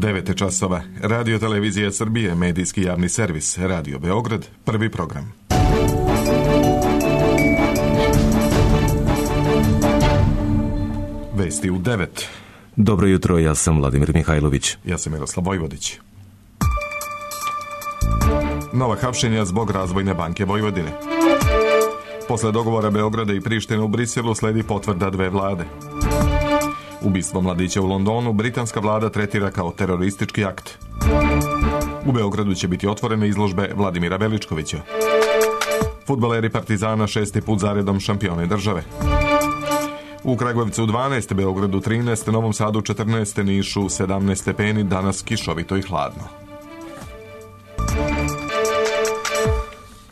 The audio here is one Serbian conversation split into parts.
9 časova. Radio Televizija Srbije, medijski javni servis, Radio Beograd, prvi program. Vesti u 9. Dobro jutro, ja sam Vladimir Mihajlović. Ja sam Miroslav Vojvodić. Nova hapšenja zbog Razvojne banke Vojvodine. Posle dogovora Beograda i Prištine u Briselu sledi potvrda dve vlade. Ubistvo mladića u Londonu britanska vlada tretira kao teroristički akt. U Beogradu će biti otvorene izložbe Vladimira Veličkovića. Fudbaleri Partizana 6. put zaredom šampioni države. U Kragujevcu 12, Beogradu 13, Novom Sadu 14, Nišu 17 stepeni, danas kišovito i hladno.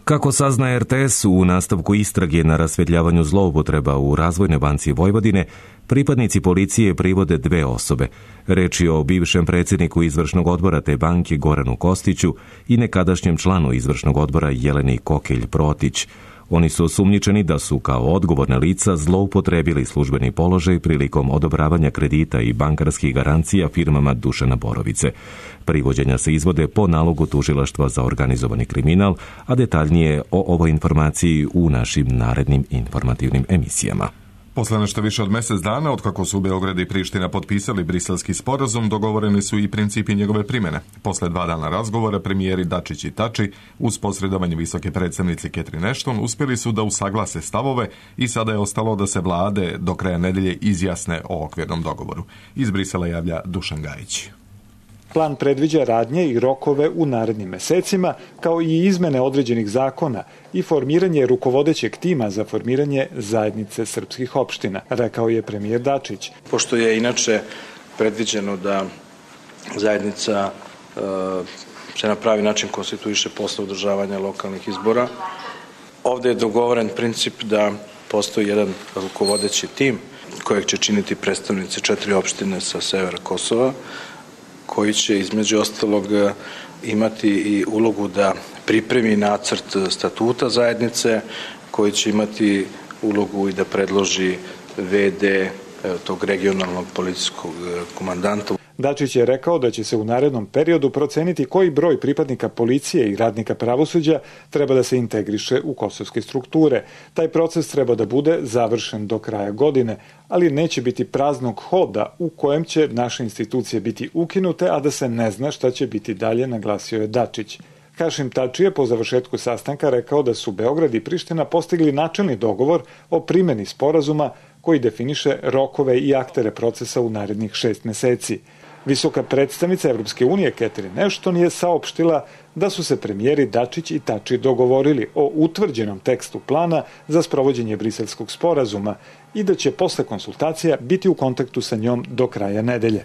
Kako sazna RTS, u nastavku istrage na rasvetljavanju zloupotreba u Razvojnoj banci Vojvodine, pripadnici policije privode dve osobe. Reč je o bivšem predsjedniku izvršnog odbora te banke Goranu Kostiću i nekadašnjem članu izvršnog odbora Jeleni Kokelj-Protić. Oni su osumnjičeni da su kao odgovorna lica zloupotrebili službeni položaj prilikom odobravanja kredita i bankarskih garancija firmama Dušana Borovice. Privođenja se izvode po nalogu Tužilaštva za organizovani kriminal, a detaljnije o ovoj informaciji u našim narednim informativnim emisijama. Posle nešto više od mjesec dana, otkako su Beograd i Priština potpisali briselski sporazum, dogovoreni su i principi njegove primjene. Posle 2 dana razgovora, premijeri Dačić i Tači, uz posredovanje visoke predstavnice Catherine Ashton, uspjeli su da usaglase stavove i sada je ostalo da se vlade do kraja nedelje izjasne o okvirnom dogovoru. Iz Brisela javlja Dušan Gajić. Plan predviđa radnje i rokove u narednim mesecima, kao i izmene određenih zakona i formiranje rukovodećeg tima za formiranje zajednice srpskih opština, rekao je premijer Dačić. Pošto je inače predviđeno da zajednica se na pravi način konstituiše posle održavanja lokalnih izbora, ovdje je dogovoren princip da postoji jedan rukovodeći tim kojeg će činiti predstavnici 4 opštine sa severa Kosova, koji će između ostalog imati i ulogu da pripremi nacrt statuta zajednice, koji će imati ulogu i da predloži VD tog regionalnog policijskog komandanta. Dačić je rekao da će se u narednom periodu proceniti koji broj pripadnika policije i radnika pravosuđa treba da se integriše u kosovske strukture. Taj proces treba da bude završen do kraja godine, ali neće biti praznog hoda u kojem će naše institucije biti ukinute, a da se ne zna šta će biti dalje, naglasio je Dačić. Hašim Tači je po završetku sastanka rekao da su Beograd i Priština postigli načelni dogovor o primjeni sporazuma koji definiše rokove i aktere procesa u narednih 6 meseci. Visoka predstavnica Evropske unije Catherine Ashton je saopštila da su se premijeri Dačić i Tači dogovorili o utvrđenom tekstu plana za sprovođenje briselskog sporazuma i da će posle konsultacija biti u kontaktu sa njom do kraja nedelje.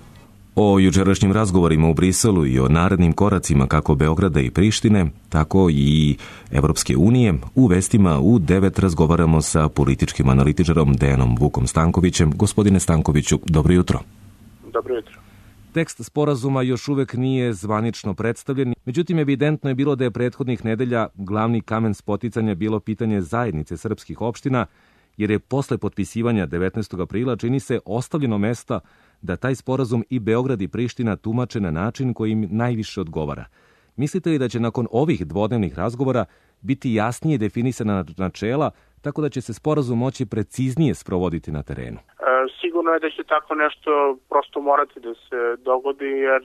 O jučerašnjim razgovorima u Briselu i o narednim koracima kako Beograda i Prištine, tako i Evropske unije, u vestima u 9 razgovaramo sa političkim analitičarom Dejanom Vukom Stankovićem. Gospodine Stankoviću, dobro jutro. Dobro jutro. Tekst sporazuma još uvek nije zvanično predstavljen, međutim evidentno je bilo da je prethodnih nedelja glavni kamen spoticanja bilo pitanje zajednice srpskih opština, jer je posle potpisivanja 19. aprila čini se ostavljeno mesta da taj sporazum i Beograd i Priština tumače na način koji im najviše odgovara. Mislite li da će nakon ovih dvodnevnih razgovora biti jasnije definisana načela, tako da će se sporazum moći preciznije sprovoditi na terenu? Sigurno je da će tako nešto prosto morati da se dogodi, jer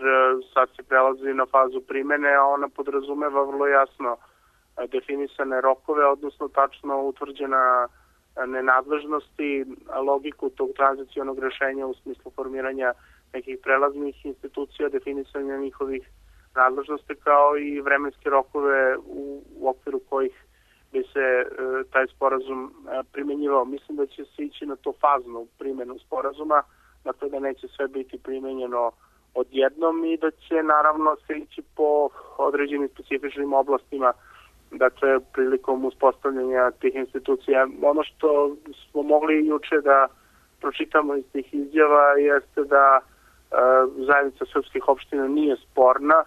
sad se prelazi na fazu primene, a ona podrazumeva vrlo jasno definisane rokove, odnosno tačno utvrđena nenadležnosti, logiku tog tranzicionog rešenja u smislu formiranja nekih prelaznih institucija, definisanja njihovih nadležnosti, kao i vremenske rokove u okviru kojih bi se taj sporazum primjenjivao. Mislim da će se ići na to faznu primjenu sporazuma, dakle da neće sve biti primenjeno odjednom i da će naravno se ići po određenim specifičnim oblastima, dakle prilikom uspostavljanja tih institucija. Ono što smo mogli juče da pročitamo iz tih izjava jeste da zajednica srpskih opština nije sporna.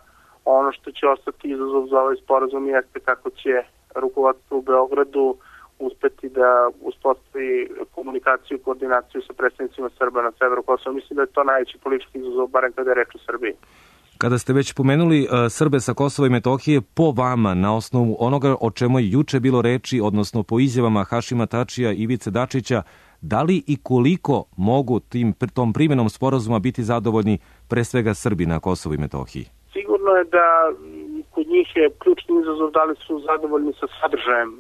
Ono što će ostati izazov za ovaj sporazum jeste kako će rukovodstvo u Beogradu uspeti da uspostavi komunikaciju i koordinaciju sa predstavnicima Srba na severu Kosova. Mislim da je to najveći politički izazov, barem kada je reč o Srbiji. Kada ste već pomenuli Srbe sa Kosova i Metohije, po vama, na osnovu onoga o čemu je juče bilo reči, odnosno po izjavama Hašima Tačija i Ivice Dačića, da li i koliko mogu tom primjenom sporazuma biti zadovoljni pre svega Srbi na Kosovu i Metohiji? Sigurno je da kod njih je ključni izazov da li su zadovoljni sa sadržajem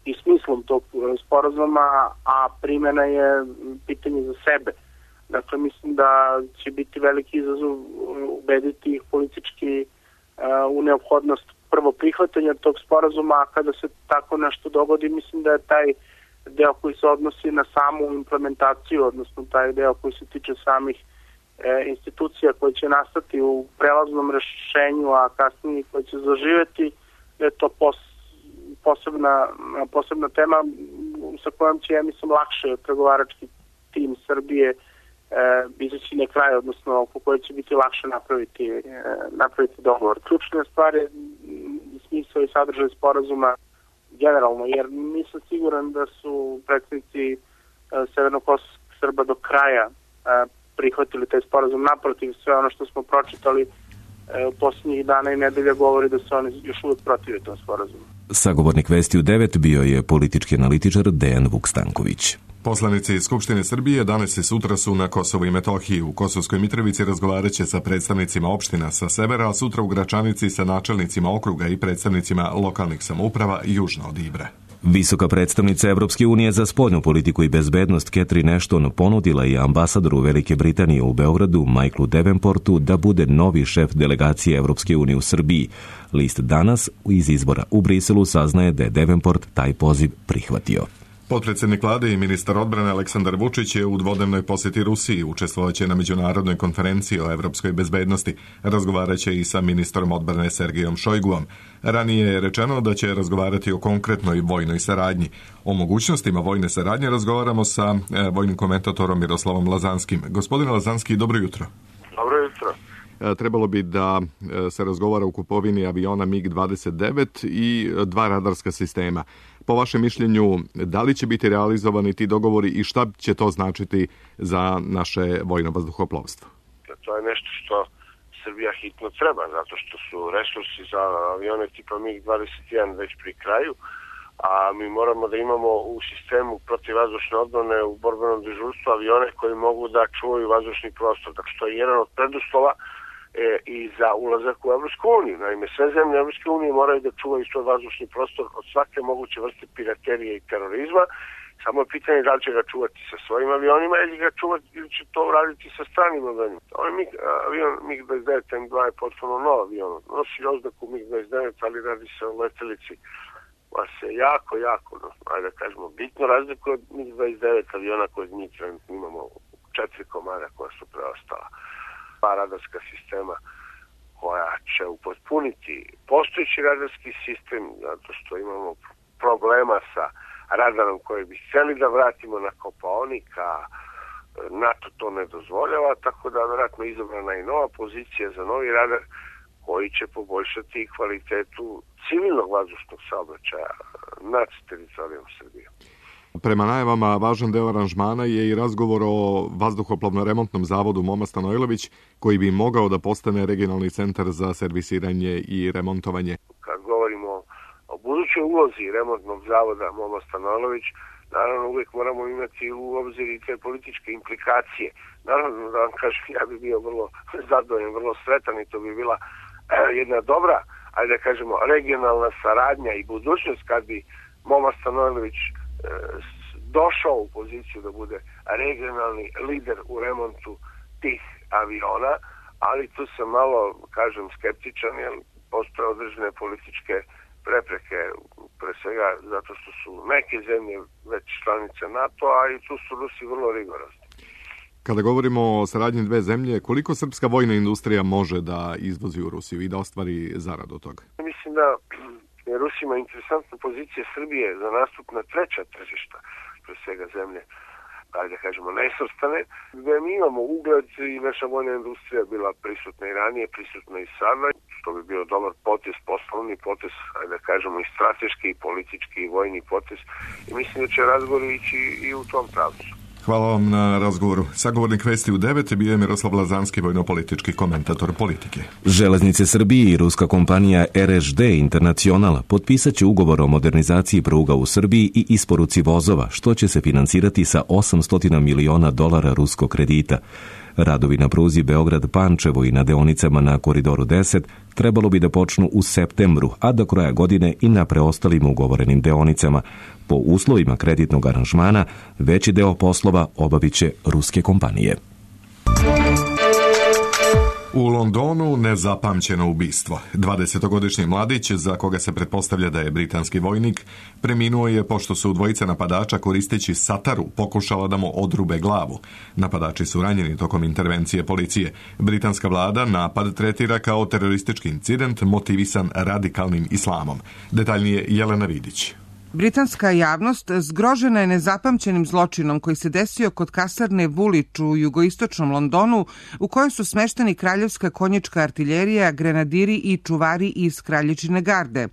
i smislom tog sporazuma, a primjena je pitanje za sebe. Dakle, mislim da će biti veliki izazov ubediti ih politički u neophodnost prvo prihvatanja tog sporazuma, a kada se tako nešto dogodi, mislim da je taj deo koji se odnosi na samu implementaciju, odnosno taj deo koji se tiče samih institucija koje će nastati u prelaznom rešenju, a kasnije koje će zaživeti, da je to posebna tema sa kojom će, ja mislim, lakše pregovarački tim Srbije izaći na kraj, odnosno oko koje će biti lakše napraviti dogovor. Ključna stvar je smisao i sadržaj sporazuma generalno, jer nisam siguran da su predstavnici severnokosovskih Srba do kraja prihvatili taj sporazum. Naprotiv, sve ono što smo pročitali posljednjih dana i nedelja govori da se oni još uvijek protive tom sporazumu. Sagovornik Vesti u 9 bio je politički analitičar Dejan Vukstanković. Poslanici Skupštine Srbije danas i sutra su na Kosovu i Metohiji. U Kosovskoj Mitrovici razgovarat će sa predstavnicima opština sa severa, a sutra u Gračanici sa načelnicima okruga i predstavnicima lokalnih samouprava južno od Ibra. Visoka predstavnica Evropske unije za spoljnu politiku i bezbednost Catherine Ashton ponudila je ambasadoru Velike Britanije u Beogradu, Michaelu Davenportu, da bude novi šef delegacije Evropske unije u Srbiji. List Danas iz izbora u Briselu saznaje da je Davenport taj poziv prihvatio. Potpredsjednik vlade i ministar odbrane Aleksandar Vučić je u dvodnevnoj posjeti Rusiji, učestvovaće na međunarodnoj konferenciji o evropskoj bezbednosti. Razgovaraće i sa ministrom odbrane Sergejom Šojguom. Ranije je rečeno da će razgovarati o konkretnoj vojnoj saradnji. O mogućnostima vojne saradnje razgovaramo sa vojnim komentatorom Miroslavom Lazanskim. Gospodine Lazanski, dobro jutro. Dobro jutro. Trebalo bi da se razgovara o kupovini aviona MiG-29 i 2 radarska sistema. Po vašem mišljenju, da li će biti realizovani ti dogovori i šta će to značiti za naše vojno vazduhoplovstvo? To je nešto što Srbija hitno treba, zato što su resursi za avione tipa MiG-21 već pri kraju, a mi moramo da imamo u sistemu protivvazdušne odbrane u borbenom dežurstvu avione koji mogu da čuvaju vazdušni prostor. Dakle, to je jedan od preduslova i za ulazak u Evropsku uniju. Naime, sve zemlje Evropske unije moraju da čuvaju svoj vazdušni prostor od svake moguće vrste piraterije i terorizma. Samo je pitanje da li će ga čuvati sa svojim avionima ili će to uraditi sa stranim avionima. Ovaj avion MiG-29 M2 je potpuno nov avion. Nosi oznaku MiG-29, ali radi se o letelici koja se jako, ajde da kažemo, bitno razlikuje od MiG-29 aviona koje mi trenutno imamo 4 komada koja su preostala. 2 radarska sistema koja će upotpuniti postojeći radarski sistem, zato što imamo problema sa radarom koji bi htjeli da vratimo na Kopaonik, a NATO to ne dozvoljava, tako da vjerojatno izabrana i nova pozicija za novi radar koji će poboljšati kvalitetu civilnog vazdušnog saobraćaja nad teritorijom Srbije. Prema najavama, važan deo aranžmana je i razgovor o vazduhoplovno-remontnom zavodu Moma Stanojlović, koji bi mogao da postane regionalni centar za servisiranje i remontovanje. Kad govorimo o budućoj ulozi remontnog zavoda Moma Stanojlović, naravno uvijek moramo imati u obzir i te političke implikacije. Naravno, da vam kažem, ja bi bio vrlo zadovoljan, vrlo sretan i to bi bila jedna dobra, ajde da kažemo, regionalna saradnja i budućnost kad bi Moma Stanojlović došao u poziciju da bude regionalni lider u remontu tih aviona, ali tu sam malo, kažem, skeptičan, jer postoje određene političke prepreke, pre svega zato što su neke zemlje već članice NATO, a i tu su Rusi vrlo rigorozni. Kada govorimo o saradnji dve zemlje, koliko srpska vojna industrija može da izvozi u Rusiju i da ostvari zaradu od toga? Mislim da je Rusima interesantna pozicija Srbije za nastup na treća tržišta, pre svega zemlje, ajde da kažemo, nesvrstane, gde mi imamo ugled i naša vojna industrija bila prisutna i ranije, prisutna i sada, što bi bio dobar potez, poslovni potez, ajde da kažemo, i strateški, i politički, i vojni potez, i mislim da će razgovor ići i u tom pravcu. Hvala vam na razgovoru. Sagovornik Vesti u 9 bio je Miroslav Lazanski, vojno-politički komentator politike. Železnice Srbije i ruska kompanija RŽD Internacional potpisat će ugovor o modernizaciji pruga u Srbiji i isporuci vozova, što će se finansirati sa $800 miliona ruskog kredita. Radovi na pruzi Beograd-Pančevo i na deonicama na Koridoru 10 trebalo bi da počnu u septembru, a do kraja godine i na preostalim ugovorenim deonicama. Po uslovima kreditnog aranžmana, veći deo poslova obavit će ruske kompanije. U Londonu nezapamćeno ubistvo. 20-godišnji mladić, za koga se pretpostavlja da je britanski vojnik, preminuo je pošto su dvojica napadača koristeći sataru pokušala da mu odrube glavu. Napadači su ranjeni tokom intervencije policije. Britanska vlada napad tretira kao teroristički incident motivisan radikalnim islamom. Detaljnije Jelena Vidić. Britanska javnost zgrožena je nezapamćenim zločinom koji se desio kod kasarne Woolwich u jugoistočnom Londonu, u kojoj su smešteni kraljevska konjička artiljerija, grenadiri i čuvari iz kraljičine garde.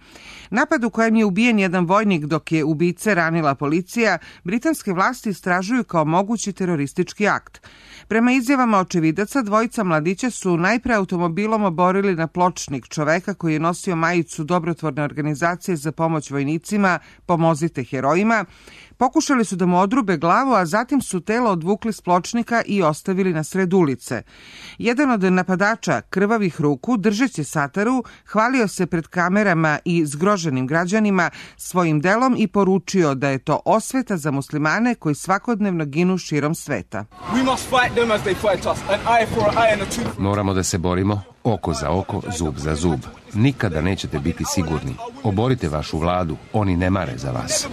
Napad u kojem je ubijen jedan vojnik dok je ubice ranila policija, britanske vlasti istražuju kao mogući teroristički akt. Prema izjavama očevidaca, dvojica mladića su najpre automobilom oborili na pločnik čoveka koji je nosio majicu dobrotvorne organizacije za pomoć vojnicima Pomozite herojima. Pokušali su da mu odrube glavu, a zatim su telo odvukli s pločnika i ostavili na sred ulice. Jedan od napadača, krvavih ruku, držeći sataru, hvalio se pred kamerama i zgroženim građanima svojim delom i poručio da je to osveta za muslimane koji svakodnevno ginu širom sveta. Moramo da se borimo oko za oko, zub za zub. Nikada nećete biti sigurni. Oborite vašu vladu, oni ne mare za vas.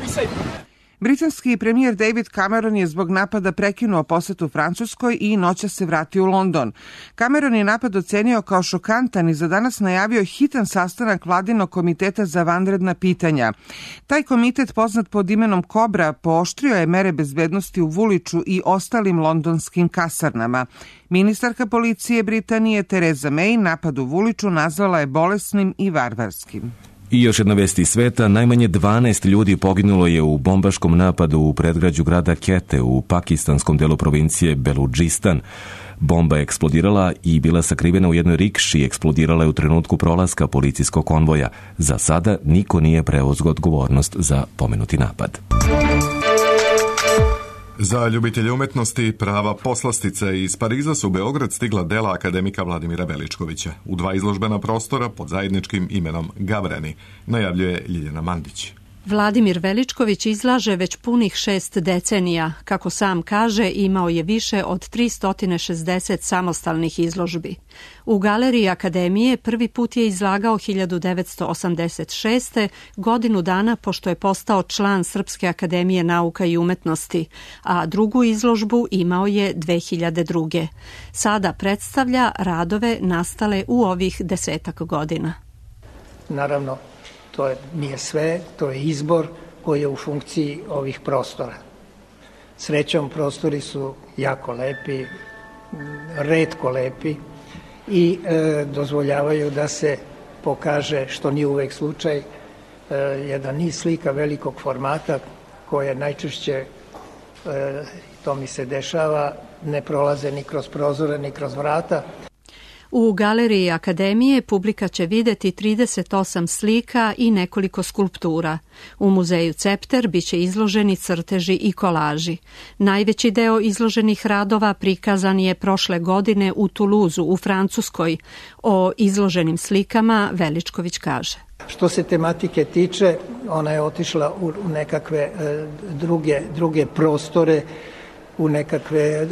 Britanski premijer David Cameron je zbog napada prekinuo posetu Francuskoj i noćas se vratio u London. Cameron je napad ocenio kao šokantan i za danas najavio hitan sastanak vladinog komiteta za vanredna pitanja. Taj komitet, poznat pod imenom Kobra, pooštrio je mere bezbednosti u Woolwichu i ostalim londonskim kasarnama. Ministarka policije Britanije Theresa May napad u Woolwichu nazvala je bolesnim i varvarskim. I još jedna vest iz sveta, najmanje 12 ljudi poginulo je u bombaškom napadu u predgrađu grada Quetta u pakistanskom delu provincije Beludžistan. Bomba je eksplodirala i bila sakrivena u jednoj rikši, eksplodirala je u trenutku prolaska policijskog konvoja. Za sada niko nije preuzeo odgovornost za pomenuti napad. Za ljubitelje umetnosti prava poslastica iz Pariza su u Beograd stigla dela akademika Vladimira Veličkovića u 2 izložbena prostora pod zajedničkim imenom Gavrani, najavljuje Ljiljana Mandić. Vladimir Veličković izlaže već punih 6 decenija. Kako sam kaže, imao je više od 360 samostalnih izložbi. U galeriji Akademije prvi put je izlagao 1986. godinu dana pošto je postao član Srpske akademije nauka i umetnosti, a drugu izložbu imao je 2002. Sada predstavlja radove nastale u ovih 10 godina. Naravno, to nije sve, to je izbor koji je u funkciji ovih prostora. Srećom, prostori su jako lepi, retko lepi i dozvoljavaju da se pokaže, što nije uvek slučaj, jedan niz slika velikog formata koje najčešće, to mi se dešava, ne prolaze ni kroz prozore ni kroz vrata. U galeriji Akademije publika će videti 38 slika i nekoliko skulptura. U muzeju Cepter biće izloženi crteži i kolaži. Najveći deo izloženih radova prikazan je prošle godine u Tuluzu u Francuskoj. O izloženim slikama Veličković kaže: Što se tematike tiče, ona je otišla u nekakve druge prostore, u nekakve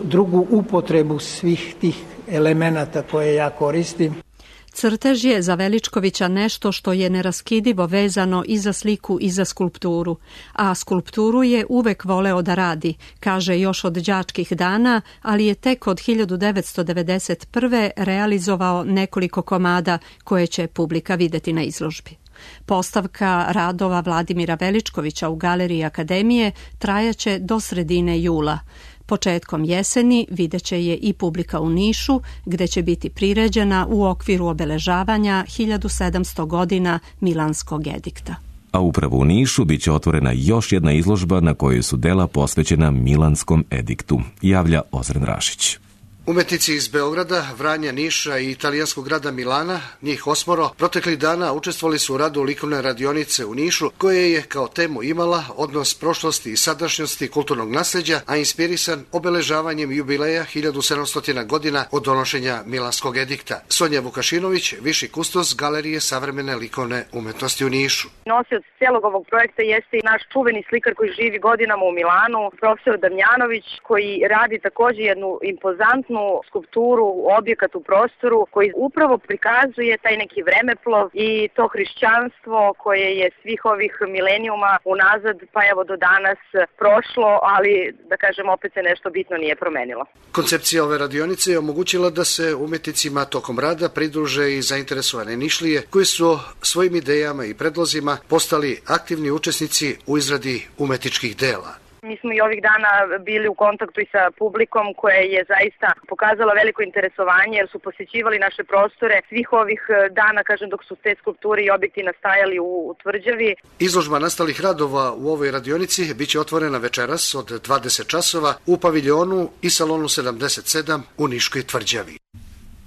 drugu upotrebu svih tih elemenata koje ja koristim. Crtež je za Veličkovića nešto što je neraskidivo vezano i za sliku i za skulpturu, a skulpturu je uvek voleo da radi, kaže još od đačkih dana, ali je tek od 1991. realizovao nekoliko komada koje će publika videti na izložbi. Postavka radova Vladimira Veličkovića u galeriji Akademije trajaće do sredine jula. Početkom jeseni vidjet će je i publika u Nišu, gde će biti priređena u okviru obeležavanja 1700 godina Milanskog edikta. A upravo u Nišu bit će otvorena još jedna izložba na kojoj su dela posvećena Milanskom ediktu, javlja Ozren Rašić. Umetnici iz Beograda, Vranja, Niša i italijanskog grada Milana, njih 8, proteklih dana učestvovali su u radu likovne radionice u Nišu, koja je kao temu imala odnos prošlosti i sadašnjosti kulturnog nasleđa, a inspirisan obeležavanjem jubileja 1700 godina od donošenja Milanskog edikta. Sonja Vukašinović, viši kustos Galerije savremene likovne umetnosti u Nišu. Nosioc cijelog ovog projekta jeste i naš čuveni slikar koji živi godinama u Milanu, profesor Damjanović, koji radi također jednu impozantnu skulpturu, objekat u prostoru koji upravo prikazuje taj neki vremeplov i to hrišćanstvo koje je svih ovih milenijuma unazad pa evo do danas prošlo, ali da kažem opet se nešto bitno nije promenilo. Koncepcija ove radionice je omogućila da se umetnicima tokom rada pridruže i zainteresovane Nišlije koji su svojim idejama i predlozima postali aktivni učesnici u izradi umetničkih dela. Mi smo i ovih dana bili u kontaktu i sa publikom koja je zaista pokazala veliko interesovanje jer su posjećivali naše prostore svih ovih dana, kažem, dok su te skulpture i objekti nastajali u Tvrđavi. Izložba nastalih radova u ovoj radionici biće otvorena večeras od 20 časova u paviljonu i salonu 77 u Niškoj Tvrđavi.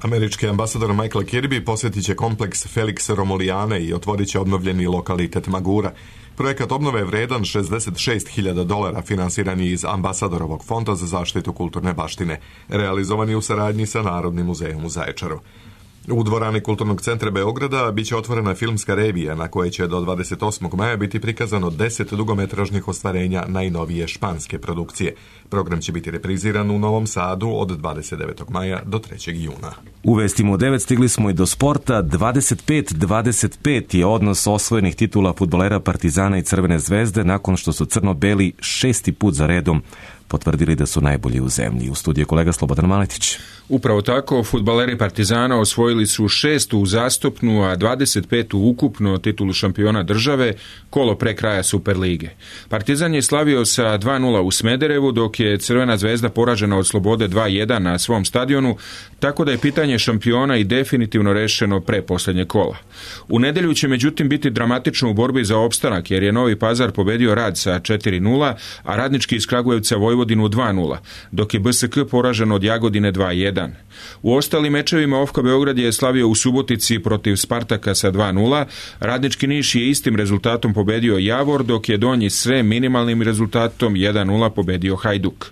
Američki ambasador Michael Kirby posjetit će kompleks Felix Romulijane i otvorit će obnovljeni lokalitet Magura. Projekat obnove je vredan $66.000, finansiran je iz ambasadorovog fonda za zaštitu kulturne baštine, realizovan je u saradnji sa Narodnim muzejom u Zaječaru. U dvorani Kulturnog centra Beograda biće otvorena filmska revija na kojoj će do 28. maja biti prikazano 10 dugometražnih ostvarenja najnovije španske produkcije. Program će biti repriziran u Novom Sadu od 29. maja do 3. juna. U vestima u 9 stigli smo i do sporta. 25-25 je odnos osvojenih titula fudbalera Partizana i Crvene zvezde nakon što su crno-beli 6. put za redom potvrdili da su najbolji u zemlji. U studiju kolega Slobodan Maletić. Upravo tako, fudbaleri Partizana osvojili su 6. uzastopnu, a 25. ukupno titulu šampiona države, kolo pre kraja Superlige. Partizan je slavio sa 2-0 u Smederevu, dok je Crvena zvezda poražena od Slobode 2-1 na svom stadionu, tako da je pitanje šampiona i definitivno rešeno pre posljednje kola. U nedelju će međutim biti dramatično u borbi za opstanak, jer je Novi Pazar pobedio Rad sa 4-0, a Radnički iz Kragujevca Vojvodinu 2-0, dok je BSK poražen od Jagodine 2-1. U ostalim mečevima OFK Beograd je slavio u Subotici protiv Spartaka sa 2-0, Radnički Niš je istim rezultatom pobedio Javor, dok je Donji Srem minimalnim rezultatom 1-0 pobedio Hajduk.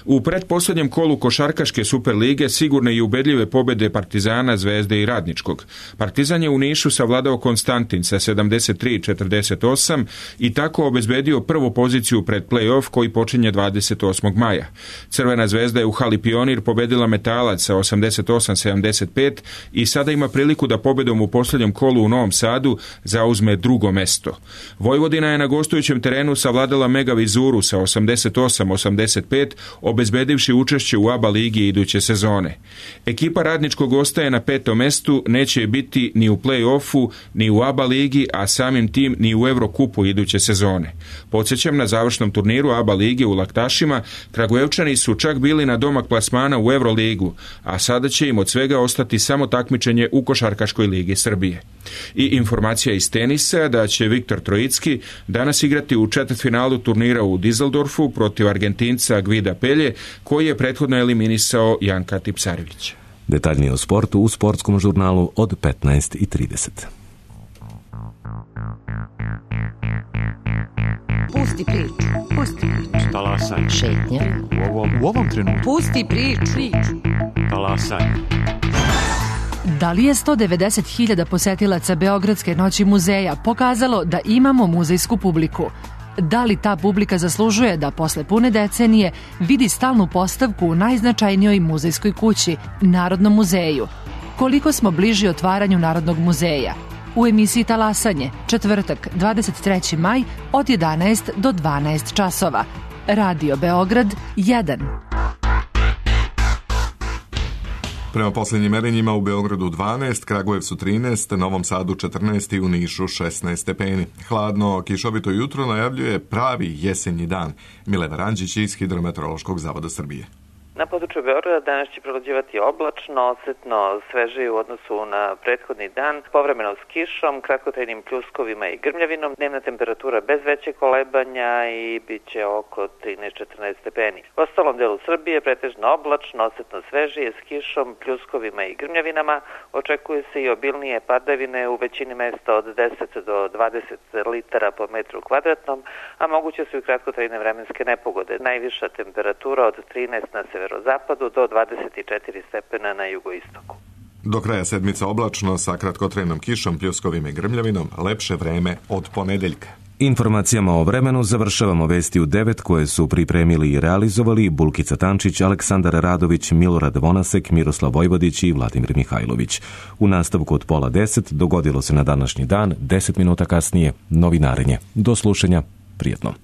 U pretposljednjem kolu košarkaške Superlige sigurne i ubedljive pobjede Partizana, Zvezde i Radničkog. Partizan je u Nišu savladao Konstantin sa 73-48 i tako obezbedio prvu poziciju pred play-off koji počinje 28. maja. Crvena zvezda je u hali Pionir pobedila Metalac sa 88-75 i sada ima priliku da pobjedom u posljednjem kolu u Novom Sadu zauzme drugo mesto. Vojvodina je na gostujućem terenu savladala Mega Vizuru sa 88-85, obezbedivši učešće u ABA ligi iduće sezone. Ekipa Radničkog ostaje na 5. mestu, neće je biti ni u play-offu, ni u ABA ligi, a samim tim ni u Evrokupu iduće sezone. Podsjećam, na završnom turniru ABA lige u Laktašima, Kragujevčani su čak bili na domak plasmana u Evroligu, a sada će im od svega ostati samo takmičenje u Košarkaškoj ligi Srbije. I informacija iz tenisa da će Viktor Trojicki danas igrati u četvrtfinalu turnira u Dizeldorfu protiv Argentinca Gvida Pelje, koji je prethodno eliminisao Janka Tipsarevića. Detaljnije o sportu u sportskom žurnalu od 15:30. Pusti priču. Pusti priču. Talasaj. Šetnja. U ovom trenutku. Pusti priču. Talasaj. Da li je 190.000 posetilaca Beogradske noći muzeja pokazalo da imamo muzejsku publiku? Da li ta publika zaslužuje da posle pune decenije vidi stalnu postavku u najznačajnijoj muzejskoj kući, Narodnom muzeju? Koliko smo bliži otvaranju Narodnog muzeja? U emisiji Talasanje, četvrtak, 23. maj od 11 do 12 časova. Radio Beograd 1. Prema posljednjim merenjima u Beogradu 12, Kragujevcu 13, Novom Sadu 14 i u Nišu 16 stepeni. Hladno, kišovito jutro najavljuje pravi jesenji dan. Milena Ranđić iz Hidrometeorološkog zavoda Srbije. Na području Beograda danas će prevlađivati oblačno, osetno svežije u odnosu na prethodni dan, povremeno s kišom, kratkotrajnim pljuskovima i grmljavinom, dnevna temperatura bez većeg kolebanja i bit će oko 13-14 stepeni. U ostalom delu Srbije pretežno oblačno, osetno svežije s kišom, pljuskovima i grmljavinama, očekuje se i obilnije padavine u većini mesta od 10 do 20 litara po metru kvadratnom, a moguće su i kratkotrajne vremenske nepogode. Najviša temperatura od 13 na severozapadu do 24 stepena na jugoistoku. Do kraja sedmice oblačno sa kratkotrajnom kišom, pljuskovima i grmljavinom, lepše vreme od ponedeljka. Informacijama o vremenu završavamo vesti u 9 koje su pripremili i realizovali Bulkica Tančić, Aleksandar Radović, Milorad Vonasek, Miroslav Vojvodić i Vladimir Mihajlović. U nastavku od 9:30 dogodilo se na današnji dan, 10 minuta kasnije, novinarenje. Do slušanja, prijetno.